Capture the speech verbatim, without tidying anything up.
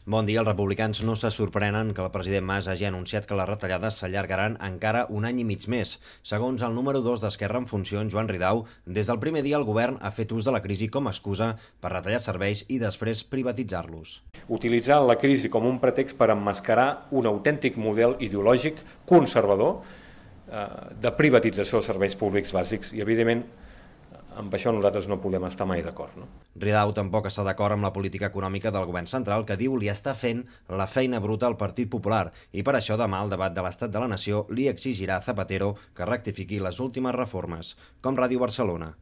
Bon dia. Els republicans no se sorprenen que el president Mas hagi anunciat que les retallades s'allargaran encara un any i mig més. Segons el número dos d'Esquerra en funcions, Joan Ridao, des del primer dia el govern ha fet ús de la crisi com a excusa per retallar serveis i després privatitzar-los. Utilitzar la crisi com un pretext per emmascarar un autèntic model ideològic conservador eh, de privatització dels serveis públics bàsics i, evidentment, amb això nosaltres no podem estar mai d'acord. No? Ridao tampoc està d'acord amb la política econòmica del govern central, que diu li està fent la feina bruta al Partit Popular i per això demà al debat de l'Estat de la Nació li exigirà a Zapatero que rectifiqui les últimes reformes. Com Ràdio Barcelona.